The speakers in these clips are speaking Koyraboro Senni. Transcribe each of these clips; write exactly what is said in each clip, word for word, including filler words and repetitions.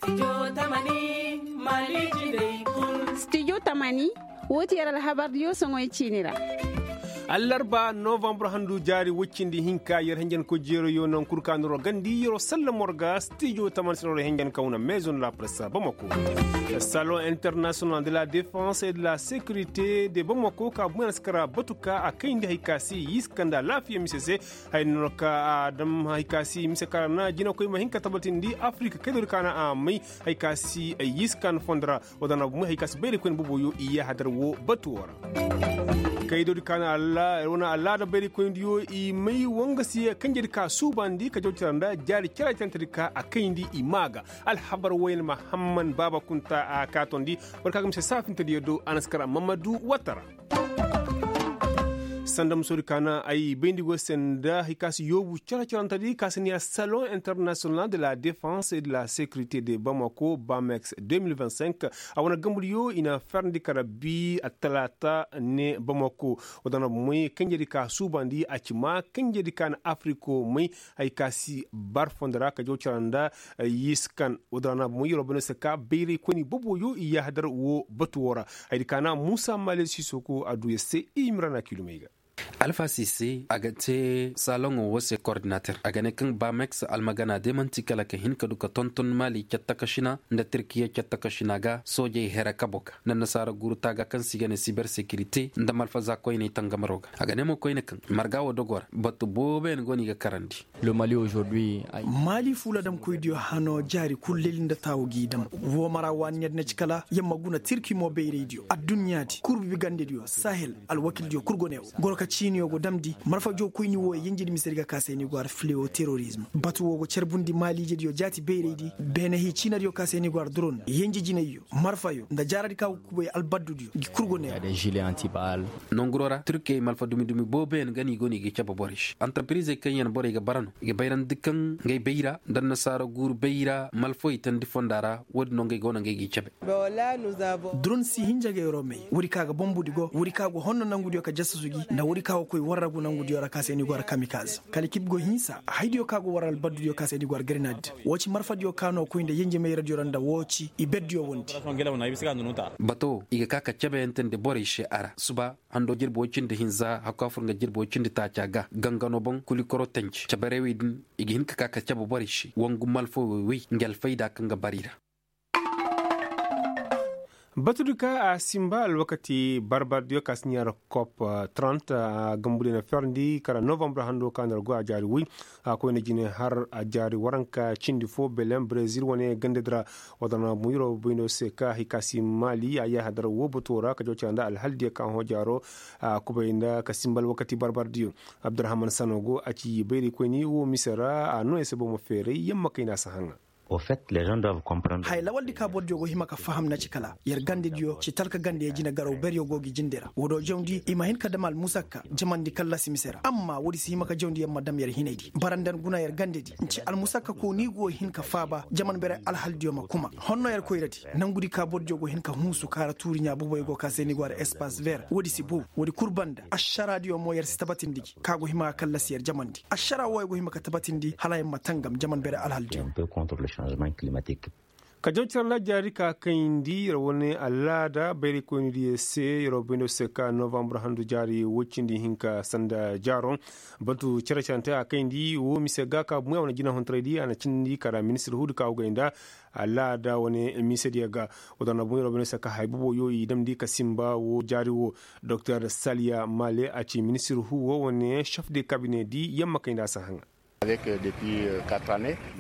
Studio tamani, woo ti yer alhabardiyo soŋoy ciini ra. Allarba novambar handu jaari woy cindi hinka yer henjenkoy jeerayo naŋ kul ka noro gandi yer'o sallam war ga studio tamani se noro henjen kawna maison de la presse bamako. Salon international de la défense et de la sécurité de bamako ka buŋ a na si kara batu ka a kayndi hari ka si yiskan da alaafiya mise se. Hay no ka a dam hay ka si mise kara na jinakoy ma hin ka tabatindi afirika kaydoodi ka na a may. Hay ka si ay yiskan fondo ra. Wala na bumey hay ka si bayraykoyni boboyo i yaahadar wo batu wo ra. Kaydoodi ka na alaada bayraykoynidiyo i may wangasiye kanjedi ka suubandi ka jaw cara nda jaari cere carantedi ka a kayndi i maa ga. Alhabar woyne mahamman baaba kunta a kaatondi. Boro ka ga mise saafintediyo do a na si kara mamadu watta ra. Sanda musoodi ka na ay bayndi go se nda hay ka si yoobu cere carantedi ka si niya salon international de la défense et de la sécurité de bamako bamex deux mille vingt-cinq. A wane gambudiyo i na ferndi kara bi attalaata ne bamako. Wadana moy kanjedi ka suubandi a ci ma kanjedi ka na afiriko may. Hay ka si bar fondo ra ka jaw cara nda yiskan. Wadana moy yeroo bane se ka bayraykoyni boboyo i yaahadar wo batu wo ra. Haydi ka na muusa maale sisoko a du yer se i mirana kilomey ga. Alfa sise a ga te saloŋo wo se kordinater a ga ne kaŋ bamex almagana de man'ti kala ka hin ka du ka tonton maali catta ka sina nda tirkiya catta ka sina ga soojey here kabo ga nda nasaara guuru taaga kaŋ se i ga ne siber sekirite nda malfaza koyney tangamaro ga. A ga ne mo koyne kaŋ marga wo dogo ra batu booboyaŋ go no i ga karandi. Maali fuuladamkoydiyo hano jaari kul leli nda taawu g'i dam. Woo mara waani yer na ci kala yer ma guna tirki mo bayraydiyo adduɲɲaadi kurbi gandediyo sahel. Alwakildiyo kul go ne wo goro ka ciiniyo go damndi marfa jookoyni wooyo yenjedi misedi ga ka se ni go har filewo terorizm. Batu woo go carbundi maaliijediyo jaati bayraydi beene hii ciinadiyo ka se ni go har duron yenje jinayyo marfayo nda jaaradi ka go kubay albaddudiyo ngi kul go ne wo. Nonguroo ra turkey malfa dumi-dumi booboyaŋ ga no i go no i ga cabe borey se antarpiriizey kaŋ yaŋ borey ga bara no i ga bayrandi kaŋ ngey bayra nda annasaara guuru bayra malfawey tandi fonda ra. Woodin no ngey go no ngey g'i cabe. Duron si hinja ga yeroo may woodi ka ga bombudi go woodi ka go honno nangudiyo ka jasasu gi nda woodi ka go koy warragu nangudiyo ra ka se ni go har kamikaz kala kib go hinsa haydiyo ka go war albaddudiyo ka se ni go har grenad. Woo ci marfadiyo ka no koy nda yenje mayradiyo ra nda woo ci i berdiyo wondi. Bato i ga ka ka cabeyantendi borey se a ra suba hando jirbi woy cindi hinza hakku a fur nga jirbi woy cindi taaca ga gangano boŋ kulikoro tanji cabarewey din i ga hin ka ka ka cabe borey se wangu malfawey wey ngi alfayda kaŋ ga bara i ra. Batudi ka a simba alwakati barbardiyo ka si ɲaara kop trant a gambudiyo na ferndi kala novambar hando ka nda ra go a jaari woy a koyne jine har a jaari waranka cindi fo belen brezil wane gandadi ra. Wadana muyiro bayno se ka hay ka si maali a yaahadar woo bato ra ka jaw cara nda alhaldiyo ka hõ jaaro a kubay nda ka simba alwakati barbardiyo. Abdurahman sanogo a ci bayraykoyni woo mise ra a noo yer se boro ma feeray yamma kayna si haŋa. Hay lawaldi ka bordiyo go hima ka faham na ci kala yer gandediyo ci talka gande jine garaw beryo go gi jinde ra woo do jawndi i ma hin ka dam almusakka jamandi kallasi mise ra amma woodi si hima ka jawndi yer ma dam yer hinaydi bara nda ni guna yer gandedi ni ci almusakka ko ni go hin ka faaba jaman beray alhaldiyo ma kuma honno yer koyradi nangudi ka bordiyo go hin ka hunsu kaara tuuri ɲaa boboyo go ka se ni go har espas ver woodi si bow woodi kul banda ašaraadiyo mo yer si tabatindi gi ka go hima ka kallasi yer jamandi ašaraa wooyo go hima ka tabatindi hala yer ma tangam jaman beray alhaldiyo. Ka jaw cara nda jaari ka kayndi yer wane alaada bayraykoynidiyo se yer wo bayndo se ka novambar handu jaari woy cindi hinka sanda jaaro. Batu care carante a kayndi woo mise ga ka bumey a wane jinahontoraydi a na cindi kara ministir huudi ka go gay nda alaada wane misediyo ga. Woo dana bumey yer wo bayndo se ka hay boboyo i damndi ka simba woo jaari woo. Doktor saliya male a ci ministir huu woo wane šef de kabinedi yamma kayndi a si haŋa.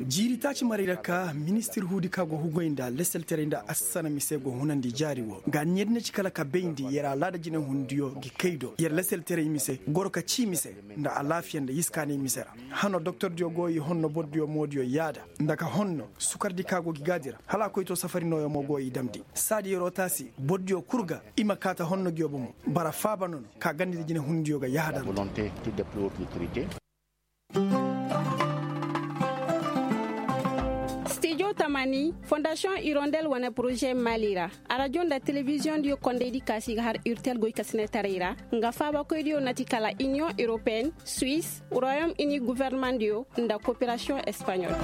Jiiri taaci maray ra ka ministir huudi ka go hugay nda leselteray nda assana mise go hunandi jaari woo ga ni yer na ci kala ka bayndi yer alaada jinehundiyo gi kay do yer leselteray mise goro ka cii mise nda alaafiya nda yiskaanay mise ra. Hano doktordiyo go i honno bordiyo moodiyo yaada nda ka honno sukardi ka go gi gaadi ra hala a koy to safari nooyo mo go i damndi saadi yeroo taasi bordiyo kul ga i ma kaa ta honno ngiyo bomo bara faaba nono ka gandedi jinehundiyo ga yahadar. Stijo tamani fondasiyoŋ irondel wane poroze mali ra arajo nda telebiziyoŋ diyo kondaydi kaasi ga har urtel goy kasinetaray ra nga faabakoydiyo nati kala iniyoŋ europeen, suwis, royom ini guvernemandiyo nda koperasiyoŋ espaɲol.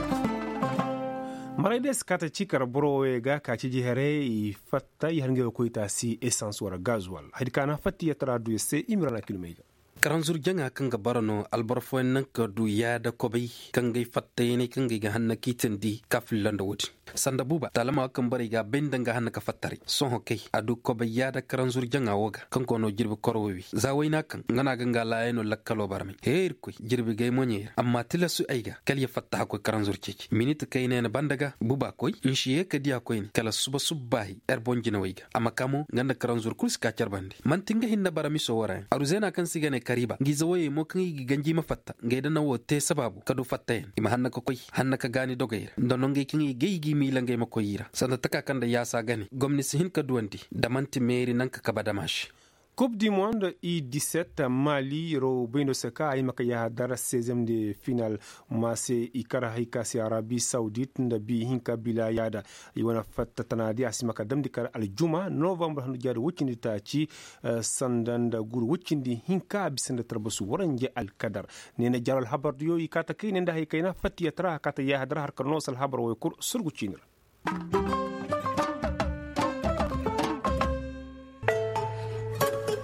Maray day si kaata ci kar boro woyey ga ka ciji haray i fatta i har ngey wo koy taasi esans wara gazuwal hari kaana fatta i yatara du ya se i ma ra na kilmey ga. Karanzur jaŋa kaŋ ga bara no alboro fooyaŋ naŋ ka du yaada kobay kaŋ ga ay fattayaney kaŋ ga ay ga hanna ka i tindi ka filla nda wo-din. Sanda buuba taalama wo kaŋ borey ga a bay nda nga hanna ka fattaray sohõ kay a du kobay yaada karanzur jaŋa wo ga kaŋ go no jirbi koro woy wi za wayna kaŋ nga no a ga nga laayano lakkaloo barmay hee irkoy jirbi gay moɲey ra amma tilasu ay ga kala ya fatta hakkoy karanzur ceeci minit kayna yaŋ banda ga buuba koy nsi ye ka diya koyne kala suba subbaahi yer boŋ jinawey ga a ma ka mo nga nda karanzur kulu si ka care bande man'ti nga hinne bara miso wo ra yaŋ aruzeena kaŋ se i ga ne kariba nga ize woyey mo kaŋ i ga ganji i ma fatta ngey da naŋ wo te sabaabu ka du fattayaŋ i ma hanna ka koy hanna ka gaani dogey ra nda nongey kaŋ i gay i g'i miila ngey ma koy i ra sanda taka kaŋ nda yaasa gane gomni si hin ka duwandi nda man'ti meeri naŋ ka kaba dama se. Kub di mond i diset mali yer wo bay no se ka a hima ka yahadar sezem de final ma se i kar hay ka se arabi sawdit nda bi hinka bila yaada i wane fatta tana di a si hima ka damndi kar aljuma novambar handu jaadi woy cindi taaci sanda nda guru woy cindi hinka a bisa nda tarbasu waranje alkadar. Ne na jaaro alhabar diyo i kaata kayne nda hay kayna fatta yatara a kaata yahadar har ka noose alhabar woy kul surgu ciini ra.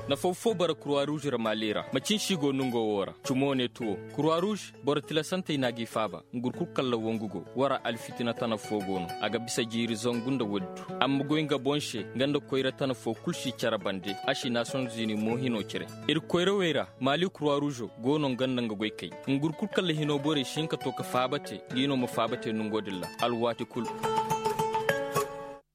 Nafaw fo bara kurwa ruuz ra maali ra macin si go nongo wo ra cumo ne tuwo kurwa ruuz boro tilasantey no a g'i faaba. Ngurkul kalla wongu go wara alfitina tana fo go no a ga bisa jiiri zangu nda woodi du. Amma goy nga boŋ se nga nda koyra tana fo kul si care bande a si naasiyoŋ zini mo hino cire. Ir koyrawey ra maali kurwa ruuzo go no nga nda nga goy kay. Ngurkul kalla hino borey si hin ka to ka faaba te ngi no ma faaba te nongo din ra alwaati kul.